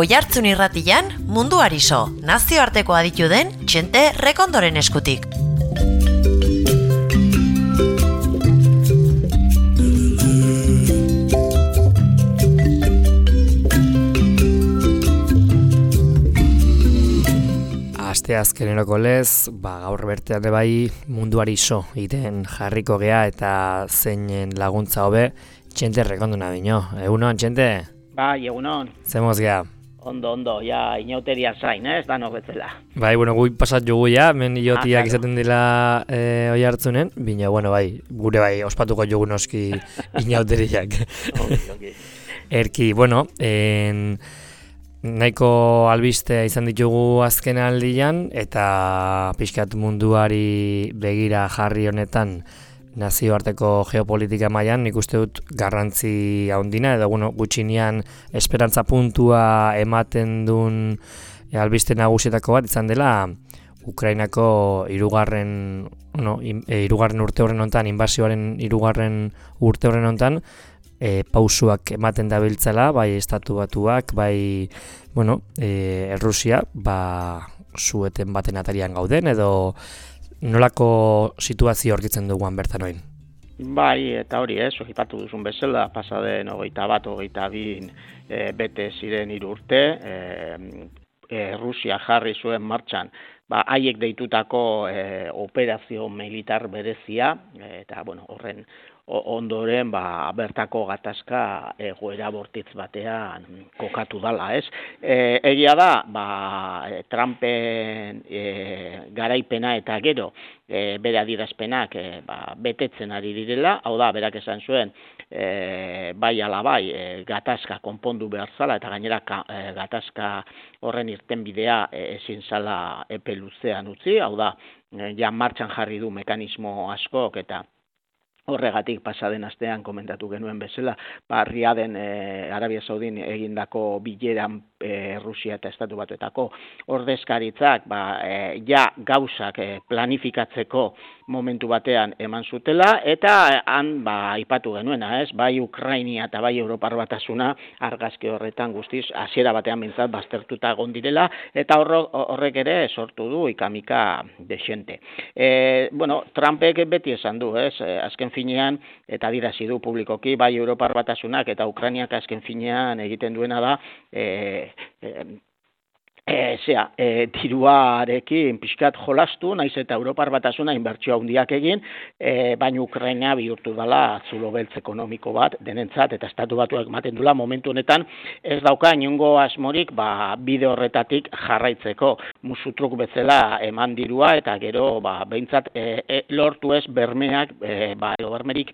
Oihartzun irratian, munduari so, nazioarteko aditu den Txente Rekondoren eskutik. Aste azkeneroko lez, gaur bertean bai munduari so iten jarriko gea eta zeinen laguntza hobe Txente Rekondona bino. Egunon, Txente? Bai, egunon. Zemoz gea? Ondo, ja, inauteria zain, ez, danok betzela. Bai, gui pasat jugu ja, men iotiak izaten dila Oihartzunen, bina, bai, gure bai, ospatuko jugu noski inauteriak. Okay. Erki, nahiko albiste izan ditugu azken aldian, eta pixkat munduari begira jarri honetan nazioarteko geopolitika mailan nik uste dut garrantzi handina, edo gutxinean esperantza puntua ematen duen albiste nagusietako bat izan dela Ukrainako hirugarren urte horren honetan, inbasioaren hirugarren urte horren honetan, pausuak ematen dabiltzala, bai Estatu Batuak, bai Errusia, sueten baten atarian gauden, edo nolako situazio aurkitzen duguan bertan oin? Bai, eta hori ipatu duzun bezala, pasaden 21-22 bete ziren 3 urte, Rusia jarri zuen martxan, haiek deitutako operazio militar berezia, eta horren ondoren bertako gatazka egoera bortitz batean kokatu dala, ez? Egia da, Trumpen garaipena eta gero bere adierazpenak betetzen ari direla, hau da, berak esan zuen, bai ala bai, gatazka konpondu behar zala, eta gainera gatazka horren irtenbidea ezin zala epe luzean utzi, hau da, ja martxan jarri du mekanismo askok, eta horregatik pasaden astean komentatu genuen bezala, Riaden Arabia Saudin egindako bileran Rusia eta Estatu Batuetako ordezkaritzak ja gauzak planifikatzeko momentu batean eman zutela, eta han aipatu genuena, ez? Bai Ukrainia eta bai Europar Batasuna argazki horretan guztiz hasiera batean behintzat baztertuta egon direla, eta horrek ere sortu du ikamika dexente. Trumpek beti esan du, ez? Azken finean, eta adierazi du publikoki, bai Europar Batasunak eta Ukrainiak azken finean egiten duena da, diruarekin pixkat jolastu, naiz eta Europar Batasuna inbertsio handiak egin, baina Ukraina bihurtu dela zulo beltz ekonomiko bat denentzat, eta Estatu Batuak ematen dula momentu honetan ez dauka inongo asmorik bide horretatik jarraitzeko, musutruk bezala eman dirua, eta gero behintzat lortu ez bermeak, bermerik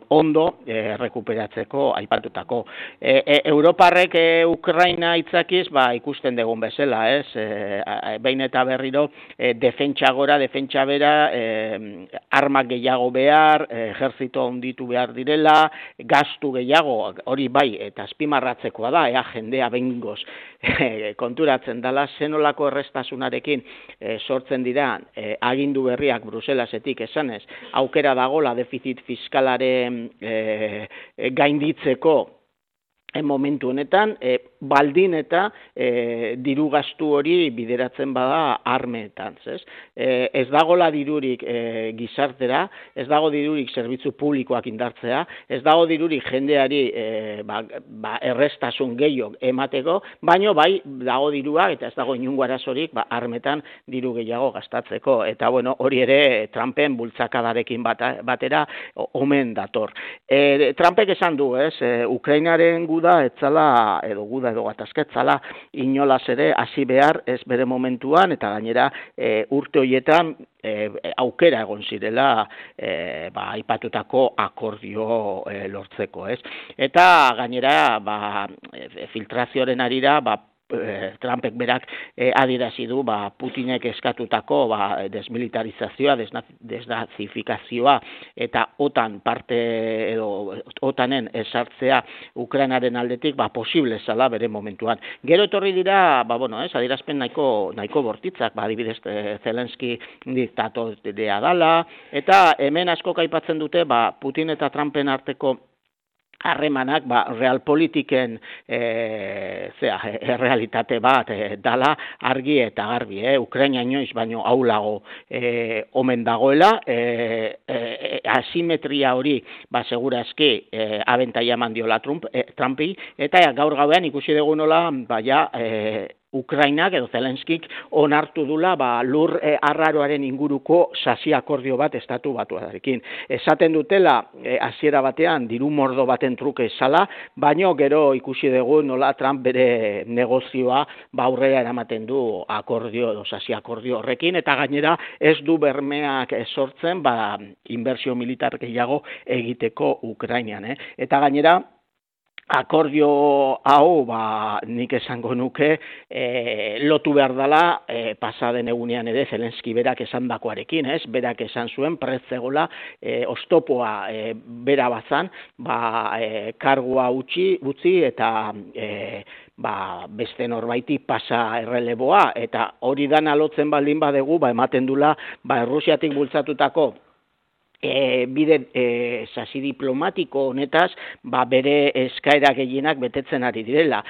ondo rekuperatzeko aipatutako. Europarrek Ukraina itzakiz ikusten dugun bezala, ez? Behin eta berriro defentsa gora, defentsa bera, armak gehiago behar, ejertzito handitu behar direla, gastu gehiago, hori bai, eta azpimarratzekoa da, jendea behingoz konturatzen dela, zenolako errestasunarekin sortzen dira agindu berriak Bruselasetik esanez, aukera dagola defizit fiskalaren gainditzeko momentu honetan, baldin eta diru gastu hori bideratzen bada armeetan, ez dagola dirurik gizartera, ez dago dirurik zerbitzu publikoak indartzea, ez dago dirurik jendeari errestasun gehiago emateko, baino bai dago dirua, eta ez dago inungo arazorik armetan diru gehiago gastatzeko, eta hori ere Trumpen bultzakadarekin batera omen dator. Trumpek esan du, Ukrainaren guda etzala, edo gatazketzala, inolaz ere hasi behar ez bere momentuan, eta gainera urte horietan aukera egon zirela aipatutako akordio lortzeko, ez? Eta gainera filtrazioaren arira Trumpek berak adierazi du Putinek eskatutako desmilitarizazioa, desnazifikazioa eta OTAN parte edo OTANen esartzea Ukrainaren aldetik posible zala bere momentuan. Gero etorri dira, adierazpen nahiko bortitzak, adibidez Zelenski diktatorea dala, eta hemen asko aipatzen dute Putin eta Trumpen arteko harremanak realpolitiken errealitate bat dala argi eta garbi, Ukraina inoiz baino aulago omen dagoela, asimetria hori segurazki abentaia eman diola Trumpi, eta gaur gauean ikusi dugu nola Ukrainak edo Zelenskik onartu dula lur arraroaren inguruko sasi akordio bat estatu batuarekin. Esaten dutela hasiera batean diru mordo baten truke zala, baino gero ikusi dugu nola Trump bere negozioa aurrera eramaten du akordio edo sasi akordio horrekin, eta gainera ez du bermeak sortzen inbertsio militar gehiago egiteko Ukrainan. Eta gainera akordio hau, nik esango nuke, lotu behar dela pasaden egunean ere Zelenski berak esandakoarekin, berak esan zuen pretzegola oztopoa bera bazan, kargua utzi eta beste norbaiti pasa erreleboa, eta hori dana lotzen baldin badegu, ematen dula Errusiatik bultzatutako bide sasi diplomatiko honetaz, bere eskaera gehienak betetzen ari direla.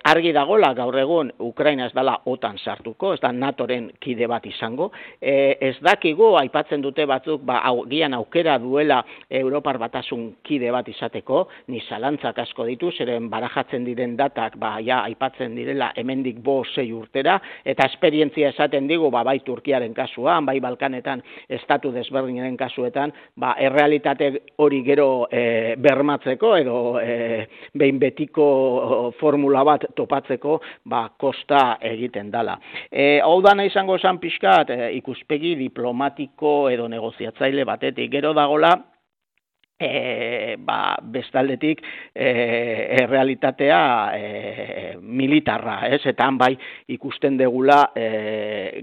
Argi dagola gaur egun Ukraina ez dela OTAN sartuko, ez da NATOren kide bat izango. Ez dakigu, aipatzen dute batzuk, gian aukera duela Europar Batasun kide bat izateko, ni zalantzak asko ditu, zeren barajatzen diren datak, aipatzen direla hemendik 5-6 urtera, eta esperientzia esaten digu, bai Turkiaren kasuan, bai Balkanetan estatu desberdinen kasuetan, errealitate hori gero bermatzeko edo behin betiko formula bat topatzeko kosta egiten dala. Hau dana izango zen pixkat ikuspegi diplomatiko edo negoziatzaile batetik, gero dagola bestaldetik errealitatea militarra, eta bai ikusten degula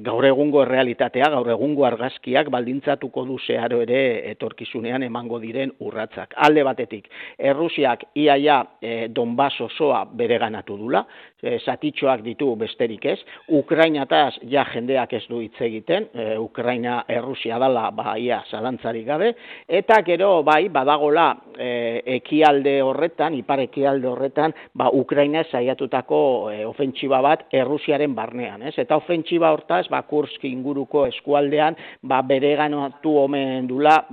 gaur egungo errealitatea, gaur egungo argazkiak baldintzatuko du zeharo ere etorkizunean emango diren urratsak. Alde batetik, Errusiak iaia Donbass osoa bereganatu dula, zatitxoak ditu besterik ez, Ukrainataz jendeak ez du hitz egiten, Ukraina Errusia dala ia zalantzarik gabe, eta gero badagola ekialde horretan, ipar ekialde horretan, Ukraina saiatutako ofentsiba bat Errusiaren barnean, eta ofentsiba hortaz, Kursk inguruko eskualdean, bereganatu omen dula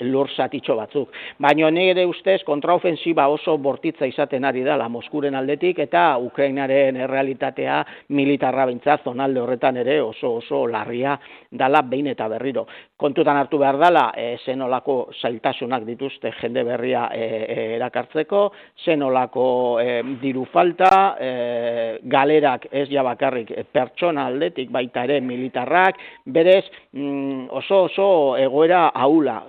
lur zatitxo batzuk. Baina nire ustez, kontraofensiba oso bortitza izaten ari dela Moskuren aldetik, eta Ukrainaren errealitatea militarra bintzat, zonalde horretan ere oso larria dala behin eta berriro. Kontutan hartu behar dela, zenolako zailtasunak dituzte jende berria erakartzeko, zenolako diru falta, galerak ez bakarrik pertsona aldetik, baita ere militarrak, berez oso egoera ahula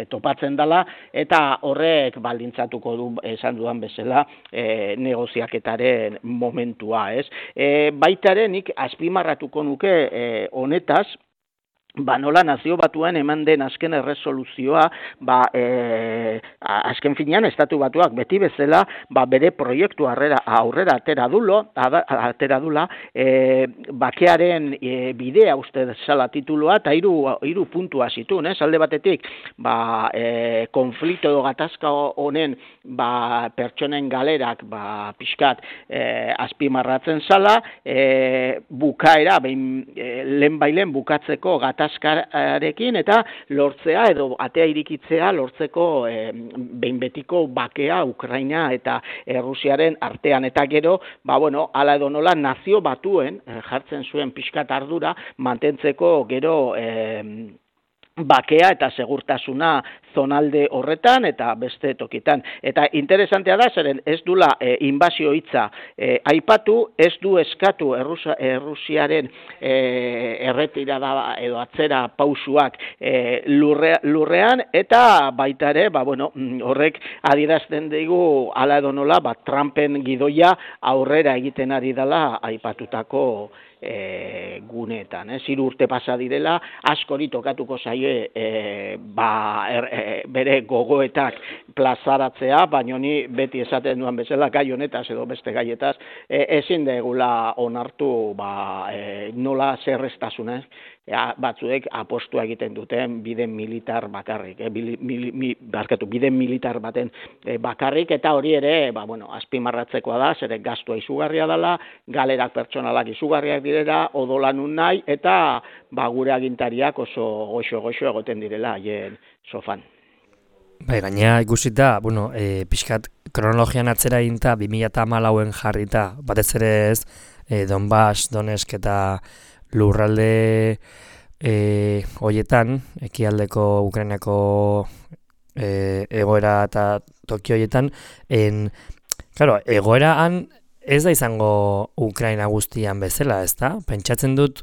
topatzen dela, eta horrek baldintzatuko du, esan dudan bezala, negoziaketaren momentua, baita ere nik azpimarratuko nuke honetaz, nola nazio batuen eman den azken erresoluzioa, azken finean estatu batuak beti bezala, bere proiektu aurrera atera dula, bakearen bidea uste zala titulua, eta hiru puntua zituen, alde batetik, konflikto edo gatazka honen pertsonen galerak pixkat azpimarratzen zala, bukaera, lehen bukatzeko gatazkarekin, eta lortzea edo atea irikitzea lortzeko behin betiko bakea Ukraina eta Errusiaren artean, eta gero, hala edo nola nazio batuen jartzen zuen pixkat ardura mantentzeko gero bakea eta segurtasuna zonalde horretan eta beste tokitan. Eta interesantea da, zeren ez dula inbazio hitza aipatu, ez du eskatu Errusiaren erretirada edo atzera pausuak lurrean, eta baita ere, horrek adierazten digu hala edo nola, Trumpen gidoia aurrera egiten ari dela aipatutako guneetan. 3 urte pasa direla, askori tokatuko zaie bere gogoetak plazaratzea, baina ni beti esaten duan bezala gai honetaz edo beste gaietaz ezin degula onartu nola zerreztasunez batzuek apostua egiten duten bide militar bakarrik, bide militar baten bakarrik, eta hori ere, azpimarratzekoa da, zere gastua izugarria dela, galerak pertsonalak izugarriak direla, odolanun nahi, eta gure agintariak oso goxo egoten direla haien sofan. Bai, gainera ikusita, pixkat kronologian atzera eginta 2014en jarrita, batez ere ez, Donbass, Donetsk eta lurralde hoietan, ekialdeko Ukrainako egoera eta toki hoietan, egoeraan ez da izango Ukraina guztian bezala, ezta? Pentsatzen dut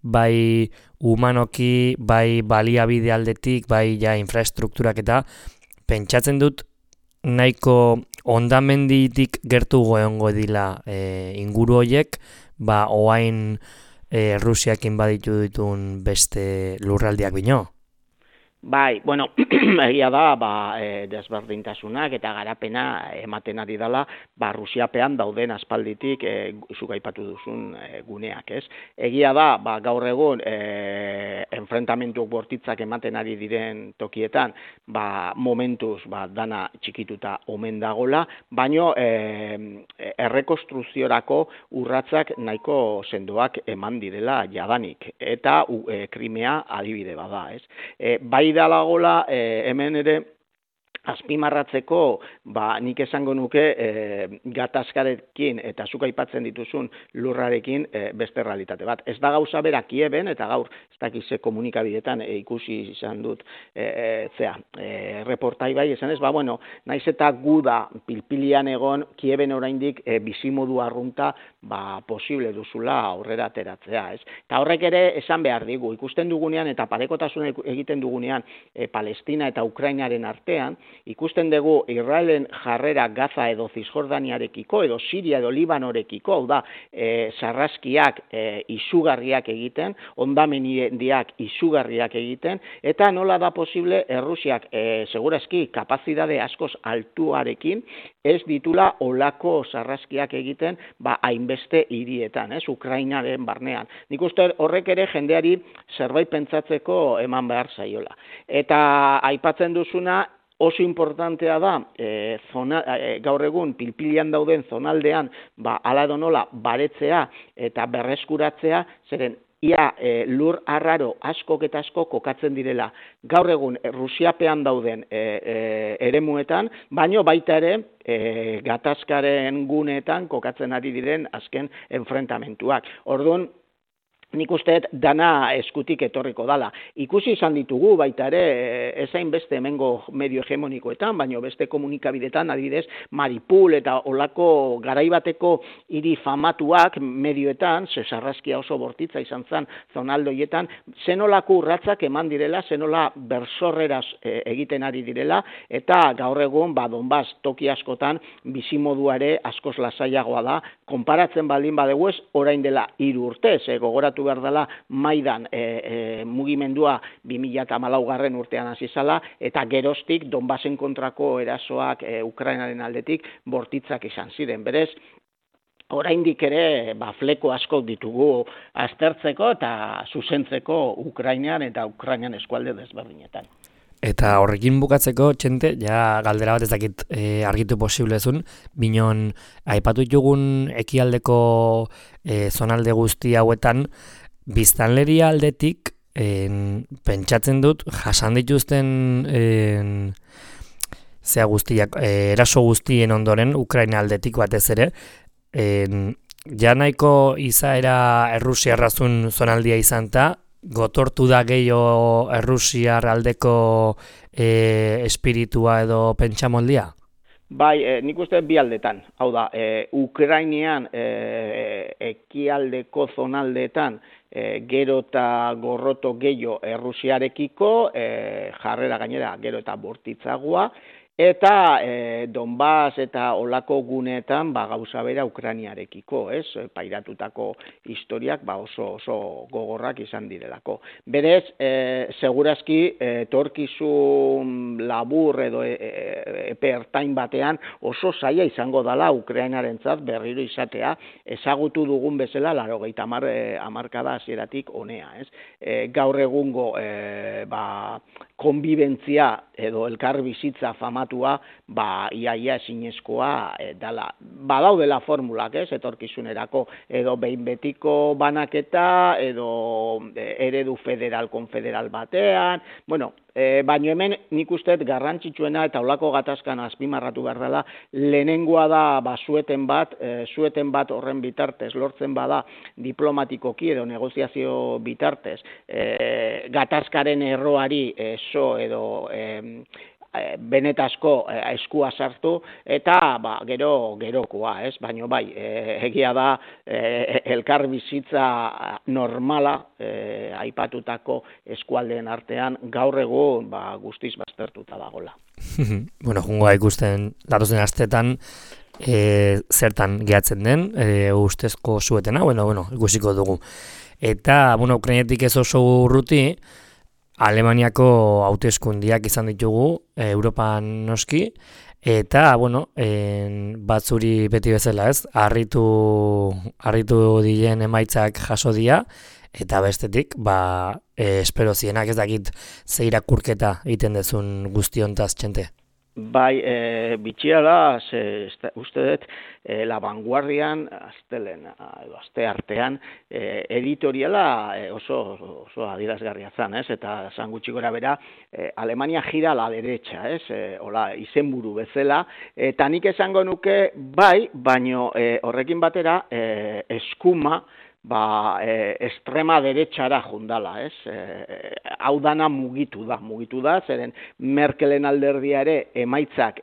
bai humanoki, bai baliabide aldetik, bai infraestrukturak eta pentsatzen dut nahiko hondamenditik gertu egongo dila inguru horiek, oain Rusiakin baditu ditun beste lurraldiak bino. Bai, egia da, desberdintasunak eta garapena ematen ari dela, Rusiapean dauden aspalditik zuk aipatu duzun guneak, ez? Egia da, gaur egun enfrentamentu bortitzak ematen ari diren tokietan, momentuz dana txikituta omen dagola, baino errekonstruziorako urratsak nahiko sendoak eman direla jadanik, eta Krimea adibide bada, ez? Bai dalagola hemen ere azpimarratzeko, nik esango nuke gatazkarekin eta zuk aipatzen dituzun lurrarekin beste realitate bat. Ez da gauza bera Kieben, eta gaur ez dakize komunikabidetan ikusi izan dut reportai bai, esan ez, naiz eta gu da pilpilian egon Kieben oraindik bizimodu arrunta posible duzula aurrera ateratzea, ez? Eta horrek ere esan behar digu, ikusten dugunean eta parekotasuna egiten dugunean Palestina eta Ukrainaren artean, ikusten dugu Israelen jarrera Gaza edo Zisjordaniarekiko edo Siria edo Libanorekiko, hau da, sarraskiak izugarriak egiten, hondamendiak izugarriak egiten, eta nola da posible Errusiak segurazki kapazitate askoz altuarekin ez ditula olako sarraskiak egiten hainbeste hirietan, Ukrainaren barnean. Nik uste horrek ere jendeari zerbait pentsatzeko eman behar zaiola. Eta aipatzen duzuna, oso importantea da, gaur egun pilpilian dauden zonaldean, hala edo nola baretzea eta berreskuratzea, zeren ia lur arraro askok eta askok kokatzen direla gaur egun Rusiapean dauden eremuetan, baino baita ere gatazkaren guneetan kokatzen ari diren azken enfrentamentuak. Orduan, nik uste dana eskutik etorriko dala. Ikusi izan ditugu baita ere, ezain beste hemengo medio hegemonikoetan, baino beste komunikabidetan, adibidez, Maripul eta olako garaibateko hiri famatuak medioetan, sarraskia oso bortitza izan zen zonaldoietan, zenolako urratsak eman direla, zenola bersorreraz egiten ari direla, eta gaur egun, Donbass toki askotan, bizimoduare askoz lasaiagoa da, konparatzen baldin badugu ez, orain dela 3 urte, gogoratu behar dela Maidan mugimendua 2014 urtean hasi zala, eta geroztik Donbassen kontrako erasoak Ukrainaren aldetik bortitzak izan ziren. Berez, oraindik ere fleko asko ditugu aztertzeko eta zuzentzeko Ukrainan eta Ukrainan eskualde desberdinetan. Eta horrekin bukatzeko, Txente, galdera bat ez dakit argitu posiblezun, binon aipatu ditugun ekialdeko zonalde guzti hauetan, biztanleria aldetik pentsatzen dut jasan dituzten eraso guztien ondoren Ukraina aldetik batez ere, nahiko izaera errusiarrazun zonaldia izan ta, gotortu da gehiago Errusiar aldeko espiritua edo pentsamoldia? Bai, nik uste bi aldetan. Hau da, Ukrainian ekialdeko zonaldeetan gero eta gorroto gehiago Errusiarekiko, jarrera gainera gero eta bortitzagoa, eta Donbas eta olako guneetan gauza bera Ukrainiarekiko, ez? Pairatutako historiak oso gogorrak izan direlako. Berez, segurazki etorkizun labur edo epe ertain batean oso zaila izango dela Ukrainarentzat berriro izatea ezagutu dugun bezala 80 hamarkada hasieratik honea, ez? Gaur egungo konbibentzia edo elkar bizitza famatua iaia ezinezkoa dala. Badaudela formulak, ez, etorkizunerako, edo behin betiko banaketa, edo eredu federal-konfederal batean, bueno, baina hemen nik usteet garrantzitsuena eta olako gatazkan azpimarratu behar dela, lehenengoa da sueten bat horren bitartez, lortzen bada diplomatikoki edo negoziazio bitartez, gatazkaren erroari edo benetazko eskua sartu eta gerokoa, ez? Baina bai, egia da elkar bizitza normala aipatutako eskualdeen artean gaur egun guztiz baztertuta dagola. Bueno, jungoa ikusten datozen astetan zertan gehatzen den ustezko suetena, bueno, ikusiko dugu. Eta, Ukrainetik ez oso urruti, Alemaniako hauteskundiak izan ditugu, Europan noski, eta, batzuri beti bezala ez, harritu diren emaitzak jaso dira, eta bestetik, espero zienak ez dakit ze irakurketa egiten dezun guztiontaz, Txente. Bai, bitxia da, uste dut, La Vanguardian, aste artean, editoriala oso adierazgarria zan, ez? Eta zan gutxi gora bera, Alemania gira a la derecha, ez? Hola, izenburu bezala, eta nik esango nuke, bai, baino horrekin batera, eskuma, estrema derecha jundala, ez? Hau dana mugitu da, zeren Merkelen alderdia ere emaitzak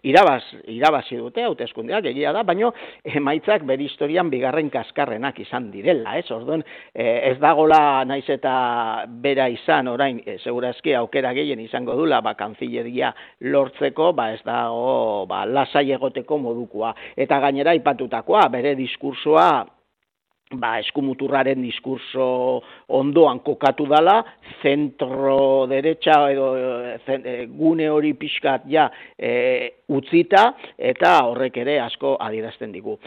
irabazi dute, hauteskundeak egia da, baino emaitzak bere historian bigarren kaskarrenak izan direla, ez? Orduan, ez dagola naiz eta bera izan orain, segurazki aukera gehien izango dula, kanzilleria lortzeko, ez dago, lasai egoteko modukoa. Eta gainera aipatutakoa, bere diskursoa eskumuturraren diskurso ondoan kokatu dala, zentro derecha edo gune hori pixkat utzita, eta horrek ere asko adierazten digu.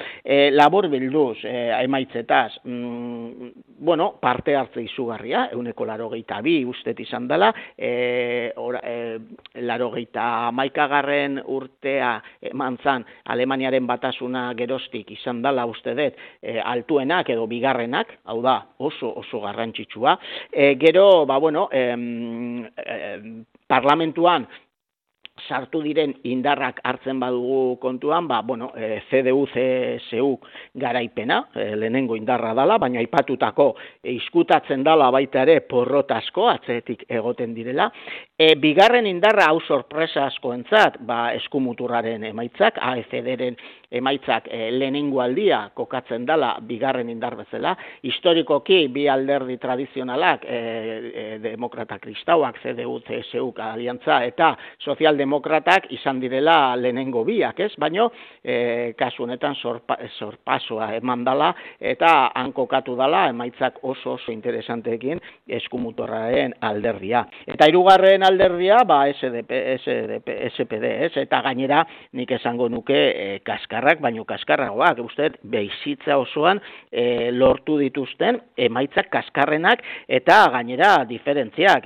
Labor bilduz, emaitzetaz, parte hartze izugarria, 182 ustet izan dela, 81. urtea eman zan Alemaniaren batasuna geroztik izan dela uste dut altuenak edo bigarrenak, hau da oso garrantzitsua. Gero, parlamentuan sartu diren indarrak hartzen badugu kontuan, CDU-CSU garaipena, lehenengo indarra dala, baina aipatutako izkutatzen dala baita ere porrotasko, atzetik egoten direla. Bigarren indarra hau sorpresa askoentzat, eskumuturraren emaitzak, AFD-ren emaitzak lehenengo aldia kokatzen dala bigarren indar bezala. Historikoki bi alderdi tradizionalak, demokrata kristauak, CDU-CSU aliantza eta sozialdemokratak izan direla lehenengo biak, ez? Baina kasu honetan sorpasoa eman dala eta han kokatu dala emaitzak oso interesanteekin eskumuturraren alderdia. Eta hirugarren alderdia, SPD, ez? Eta gainera nik esango nuke kaskarrak, baino kaskarragoak, uste, bizitza osoan lortu dituzten emaitzak kaskarrenak eta gainera diferentziak.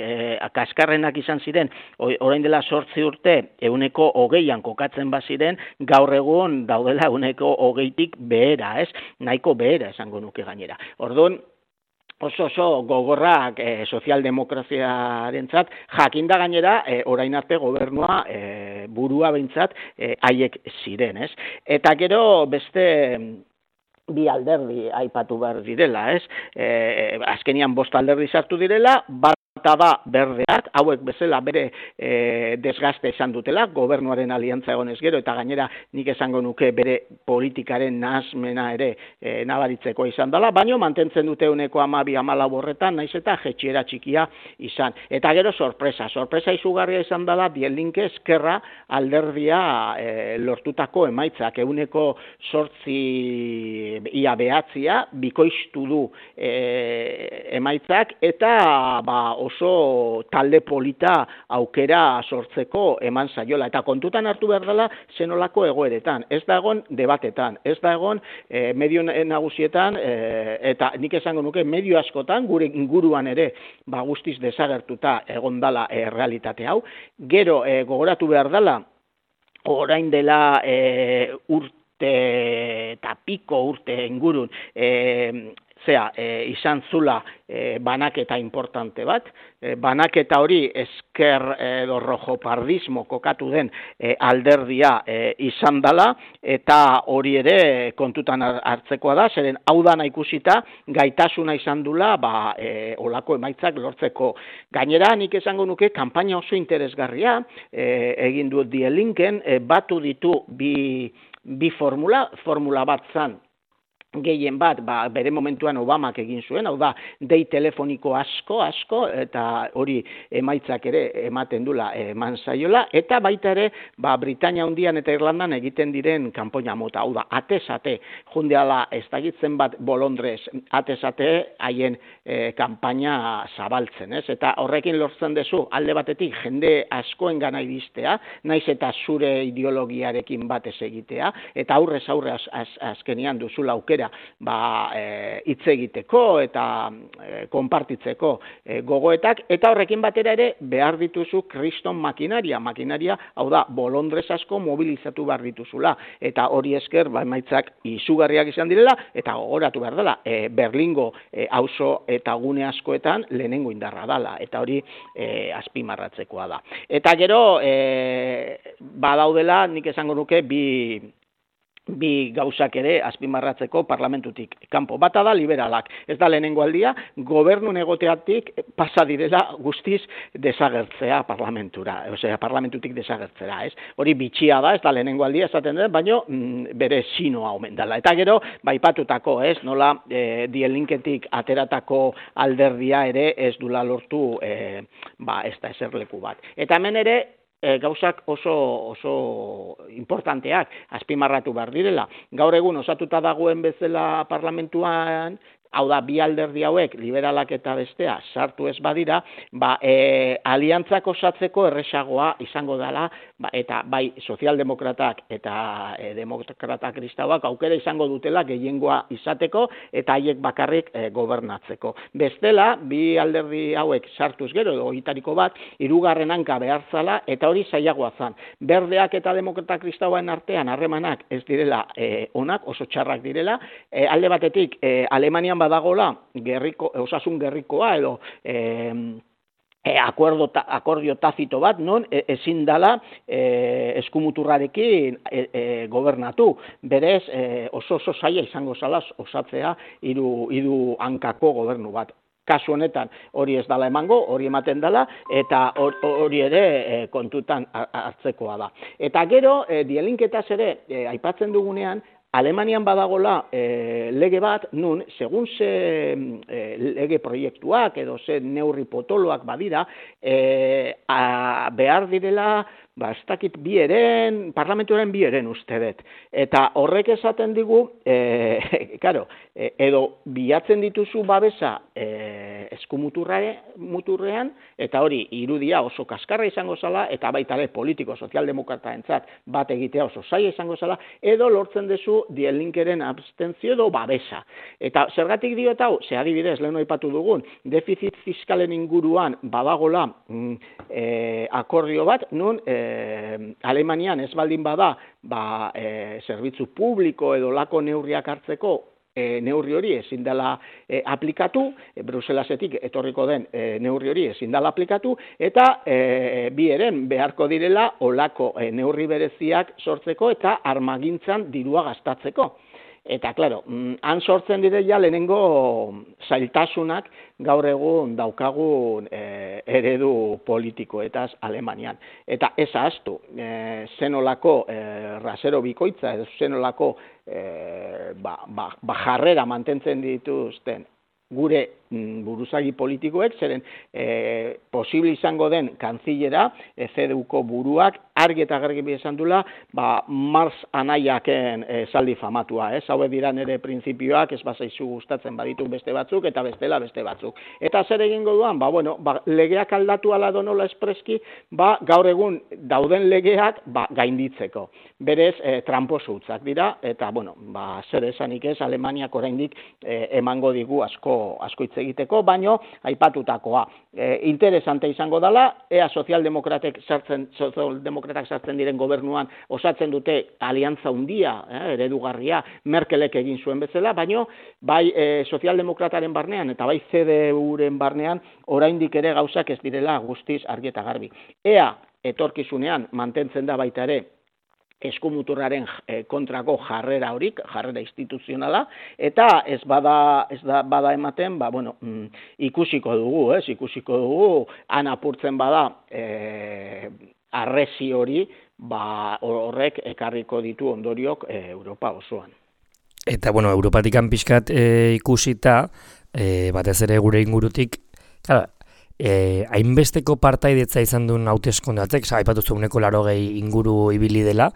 Kaskarrenak izan ziren, orain dela 8 urte, 20% kokatzen baziren, gaur egun daudela 20%tik behera, ez? Nahiko behera esango nuke gainera. Orduan, oso gogorrak sozialdemokraziarentzat, jakinda gainera, orain arte gobernua burua behintzat haiek ziren, ez? Eta gero beste bi alderdi aipatu behar direla, ez? Azkenian 5 alderdi sartu direla, Eta da berdeak, hauek bezala bere desgaste izan dutela, gobernuaren aliantza egonez gero, eta gainera nik esango nuke bere politikaren nahasmena ere nabaritzeko izan dela, baino mantentzen dute 12-14 horretan, naiz eta jetxiera txikia izan. Eta gero sorpresa izugarria izan dela Die Linke Eskerra alderdia lortutako emaitzak, 8% ia 9 bikoiztu du emaitzak, eta oso talde polita aukera sortzeko eman zaiola. Eta kontutan hartu behar dela zenolako egoeretan. Ez da egon debatetan, ez da egon medio nagusietan, eta nik esango nuke medio askotan, gure inguruan ere guztiz desagertuta egon dela realitate hau. Gero gogoratu behar dela, orain dela urte eta piko urte ingurun, izan zula banaketa importante bat, banaketa hori esker edo rojopardismo kokatu den alderdia izan dela, eta hori ere kontutan hartzekoa da, zeren hau dana ikusita gaitasuna izan dula olako emaitzak lortzeko. Gainera nik esango nuke kanpaina oso interesgarria egin du Die Linken, batu ditu bi formula bat zan, gehien bat, bere momentuan Obamak egin zuen, hau da, dei telefoniko asko, eta hori emaitzak ere ematen dula eman zaiola, eta baita ere, Britania Handian eta Irlandan egiten diren kanpoina mota, hau da, atez-ate, jundeala ez dakitzen bat bolondrez, atez-ate haien kanpaina zabaltzen, ez? Eta horrekin lortzen dezu, alde batetik, jende askoen gana iristea, naiz eta zure ideologiarekin batez egitea, eta aurrez azkenian duzula aukera hitz egiteko eta konpartitzeko gogoetak, eta horrekin batera ere behar dituzu kriston makinaria, hau da, bolondrez asko mobilizatu behar dituzula, eta hori esker emaitzak izugarriak izan direla, eta gogoratu behar dela, Berlingo auzo eta gune askoetan lehenengo indarra dela, eta hori azpimarratzekoa da. Eta gero, badaudela, nik esango nuke, bi gauzak ere azpimarratzeko parlamentutik kanpo. Bata da liberalak, ez da lehenengo aldia, gobernun egoteatik pasa direla guztiz desagertzea parlamentura, parlamentutik desagertzera, ez? Hori bitxia da, ez da lehenengo aldia esaten dut, baino bere sinoa omen dela. Eta gero, baipatutako, ez? Nola Die Linketik ateratako alderdia ere ez dula lortu ez da eserleku bat. Eta hemen ere, gauzak oso importanteak azpimarratu behar direla. Gaur egun osatuta dagoen bezala parlamentuan, hau da, bi alderdi hauek, liberalak eta bestea, sartu ez badira, aliantzak osatzeko erresagoa izango dela, eta bai sozialdemokratak eta demokrata kristauak aukera izango dutela gehiengoa izateko, eta haiek bakarrik gobernatzeko. Bestela, bi alderdi hauek sartuz gero, edo hitariko bat, hirugarren hanka behar zala, eta hori zailagoa zan. Berdeak eta demokrata kristauen artean harremanak ez direla onak, oso txarrak direla, alde batetik, Alemanian badagola osasun gerrikoa edo akordio tazito bat, non ezin dala eskumuturrarekin gobernatu. Berez, oso zaila izango zala osatzea hiru hankako gobernu bat. Kasu honetan hori ez dala emango, hori ematen dela, eta hori ere kontutan hartzekoa da. Eta gero, Die Linketaz ere, aipatzen dugunean, Alemanian badagola lege bat, nun, segun ze lege proiektuak edo ze neurri potoloak badira, behar direla, ez dakit parlamentuaren bi eren uste dut. Eta horrek esaten digu, edo bilatzen dituzu babesa eskumuturrean, eta hori irudia oso kaskarra izango zala, eta baita ere politiko sozialdemokrataentzat bat egitea oso zaila izango zala, edo lortzen dezu Die Linkeren abstentzio edo babesa. Eta zergatik diot hau, ze adibidez, lehen aipatu dugun, defizit fiskalen inguruan badagola akordio bat, nun Alemanian ez baldin bada zerbitzu publiko edo lako neurriak hartzeko neurri hori ezin dela aplikatu, Bruselasetik etorriko den neurri hori ezin dela aplikatu, eta bi eren beharko direla olako neurri bereziak sortzeko eta armagintzan dirua gastatzeko. Eta, klaro, han sortzen dire ja lehenengo zailtasunak gaur egun daukagun eredu politikoetaz Alemanian. Eta ez ahaztu, zenolako rasero bikoitza, edo zenolako jarrera mantentzen dituzten gure buruzagi politikoek, zeren posible izango den kanzilera, CDUko buruak, argi eta garbi esan dula, Marx anaiaken esaldi famatua, hauek dira nire printzipioak, ez bazaizu gustatzen baditu beste batzuk, eta bestela beste batzuk. Eta zer egingo duan, legeak aldatu ala donola espreski, gaur egun dauden legeak gainditzeko. Berez, tramposo hutzak dira, eta, zer esanik ez, Alemaniak oraindik emango digu asko hitz egiteko, baino aipatutakoa. Interesante izango dela, ea sozialdemokratak sartzen diren gobernuan osatzen dute aliantza handia, eredugarria, Merkelek egin zuen bezala, baino bai sozialdemokrataren barnean eta bai CDUren barnean oraindik ere gauzak ez direla guztiz argi eta garbi. Ea etorkizunean mantentzen da baita ere eskumuturraren kontrako jarrera horik, jarrera instituzionala, eta ez bada ematen, ikusiko dugu, han apurtzen bada arresi hori, horrek ekarriko ditu ondoriok Europa osoan. Eta, Europatikan pixkat ikusita, batez ere gure ingurutik, hainbesteko partaidetza izan duen hauteskundatzek, aipatu zueneko 80 inguru ibili dela,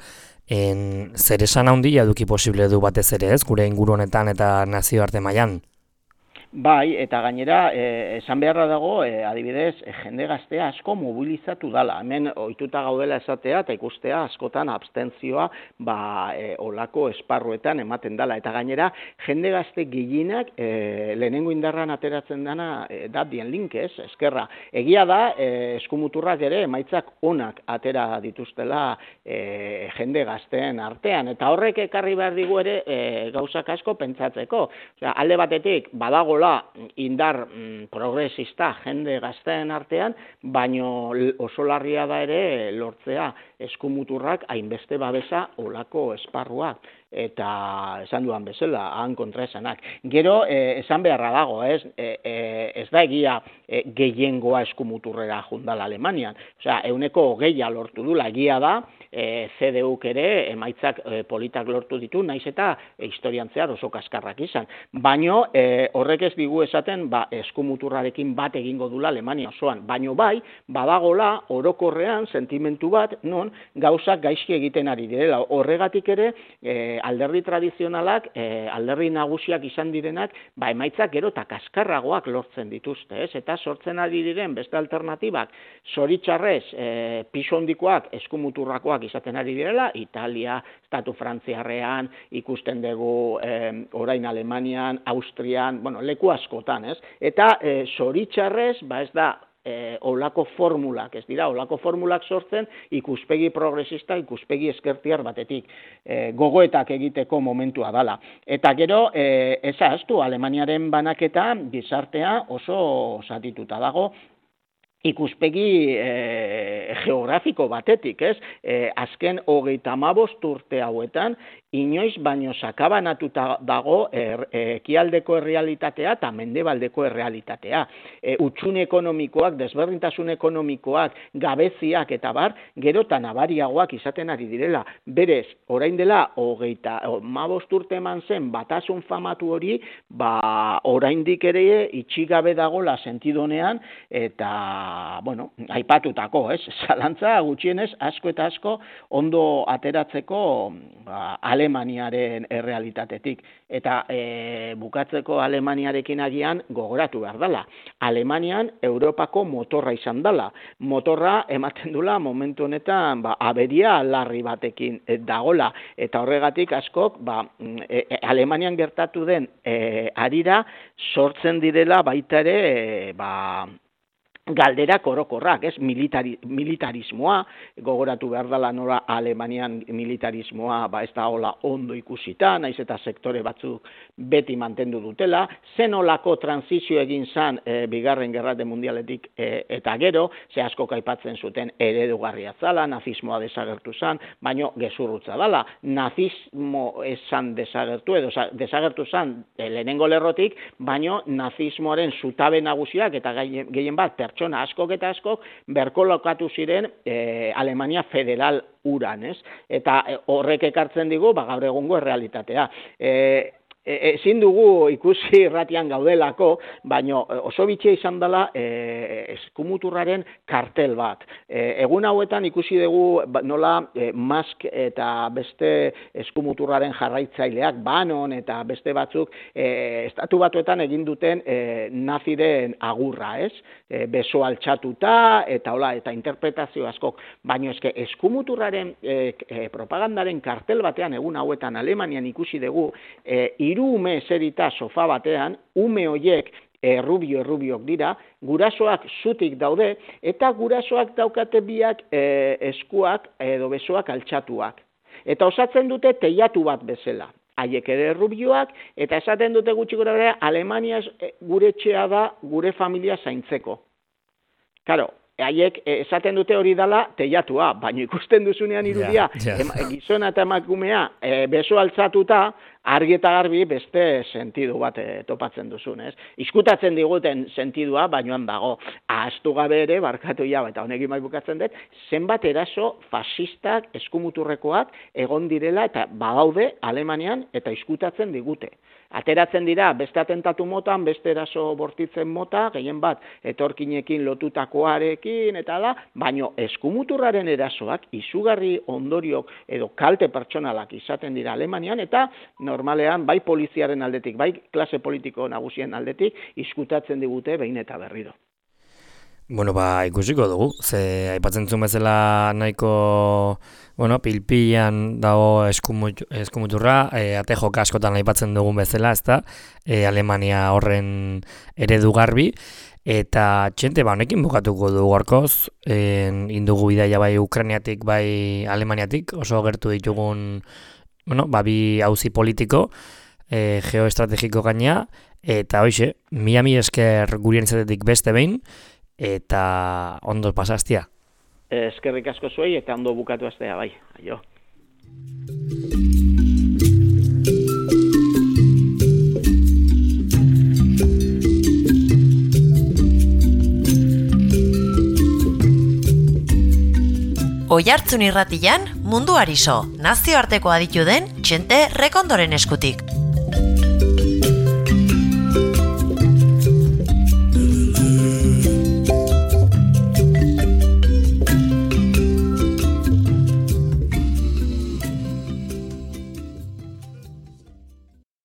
zer esan handia eduki posible du batez ere ez, gure inguru honetan eta nazioarte mailan? Bai, eta gainera, esan beharra dago, adibidez, jende gaztea asko mobilizatu dala. Hemen ohituta gaudela esatea eta ikustea askotan abstentzioa olako esparruetan ematen dala. Eta gainera, jende gazte gehienak lehenengo indarran ateratzen dana da dien link, eskerra. Egia da, eskumuturrak ere emaitzak onak atera dituztela jende gazteen artean. Eta horrek ekarri behar digu ere gauzak asko pentsatzeko. Alde batetik, badagola indar progresista jende gazteen artean, baino oso larria da ere lortzea eskumuturrak hainbeste babesa olako esparruak. Eta esan duan bezala, han kontraesanak. Gero, esan beharra dago, ez da egia gehiengoa eskumuturrera jundala Alemanian. Osea, 20% lortu dula, egia da, CDUk ere emaitzak politak lortu ditu, naiz eta historian zehar oso kaskarrak izan. Baino, horrek ez digu esaten, eskumuturrarekin bat egingo dula Alemania osoan. Baino bai, badagola orokorrean sentimentu bat, non gauzak gaizki egiten ari direla. Horregatik ere, alderdi tradizionalak, alderdi nagusiak izan direnak, emaitzak gero eta kaskarragoak lortzen dituzte, eta sortzen ari diren beste alternatibak, zoritxarrez, piso hondikoak, eskumuturrakoak izaten ari direla, Italia, Estatu Frantziarrean, ikusten dugu orain Alemanian, Austrian, leku askotan, eta zoritxarrez, ez da, olako formulak, ez dira, olako formulak sortzen ikuspegi progresista, ikuspegi ezkertiar batetik, gogoetak egiteko momentua dala. Eta gero, ez ahaztu, Alemaniaren banaketa gizartea oso zatituta dago, ikuspegi geografiko batetik, azken 35 urte hauetan, inoiz baino sakabanatuta dago ekialdeko errealitatea eta mendebaldeko errealitatea. Hutsune ekonomikoak, desberdintasun ekonomikoak, gabeziak eta bar, gero eta nabariagoak izaten ari direla. Berez, orain dela 35 urte eman zen batasun famatu hori, oraindik ere itxigabe dagola sentidonean eta aipatutako, zalantza gutxienez asko eta asko ondo ateratzeko Alemaniaren errealitatetik. Eta bukatzeko Alemaniarekin agian gogoratu behar dela. Alemanian Europako motorra izan dela. Motorra ematen dula momentu honetan aberia larri batekin dagola. Eta horregatik askok Alemanian gertatu den harira sortzen direla baita ere galderak orokorrak, ez? Militarismoa, gogoratu behar dela nora Alemanian militarismoa ez da hola ondo ikusita, naiz eta sektore batzuk beti mantendu dutela, zenolako transizio egin zan bigarren gerrate mundialetik eta gero, ze asko aipatzen zuten eredugarria zala, nazismoa desagertu zan, baino gezurrutza dela, nazismo esan desagertu, edo desagertu zan lehenengo lerrotik, baino nazismoaren zutabe nagusiak eta gehien bat pertsona askok eta askok berkolokatu ziren Alemania federal uran, ez? Eta horrek ekartzen digu, gaur egungo errealitatea. Ezin dugu ikusi irratian gaudelako, baino oso bitxia izan dela eskumuturraren kartel bat. Egun hauetan ikusi dugu nola Musk eta beste eskumuturraren jarraitzaileak, Bannon eta beste batzuk estatu batuetan egin duten naziren agurra, ez? Beso altxatuta eta hola, eta interpretazio askok, baino eske eskumuturraren propagandaren kartel batean egun hauetan Alemanian ikusi dugu hiru ume eserita sofa batean, ume hoiek errubiok dira, gurasoak zutik daude, eta gurasoak daukate biak eskuak edo besoak altxatuak. Eta osatzen dute teilatu bat bezala. Haiek ere errubioak, eta esaten dute gutxi gorabehera, Alemania gure etxea da gure familia zaintzeko. Karo, haiek esaten dute hori dela teilatua, baina ikusten duzunean irudia, gizona eta emakumea beso altzatuta, argi eta garbi beste sentidu bat topatzen duzun, ez? Izkutatzen diguten sentidua, bainoan dago. Ahaztu gabe ere, barkatu ja, eta honekin bai bukatzen dut, zenbat eraso fasistak, eskumuturrekoak egon direla eta badaude Alemanian eta izkutatzen digute. Ateratzen dira beste atentatu motan, beste eraso bortitzen mota, gehien bat etorkinekin lotutakoarekin eta da, baino eskumuturraren erasoak izugarri ondoriok edo kalte pertsonalak izaten dira Alemanian eta normalean bai poliziaren aldetik, bai klase politiko nagusien aldetik izkutatzen digute behin eta berriro. Bueno, ikusiko dugu, ze aipatzen zuen bezala nahiko, pilpilan dago eskumuturra, ate joka askotan aipatzen dugun bezala, ezta, Alemania horren eredu garbi, eta txente, honekin bukatuko dugu gorkoz, indugu bidaia bai Ukrainiatik, bai Alemaniatik, oso gertu ditugun, bi auzi politiko, geoestrategiko gaina, eta hoxe, mila esker gurien izatetik beste behin, eta ondo pasaztia. Eskerrik asko zuei eta ondo bukatu aztea, bai. Aio. Oihartzun irratian, mundu ariso, nazioarteko aditu den Txente Rekondoren eskutik.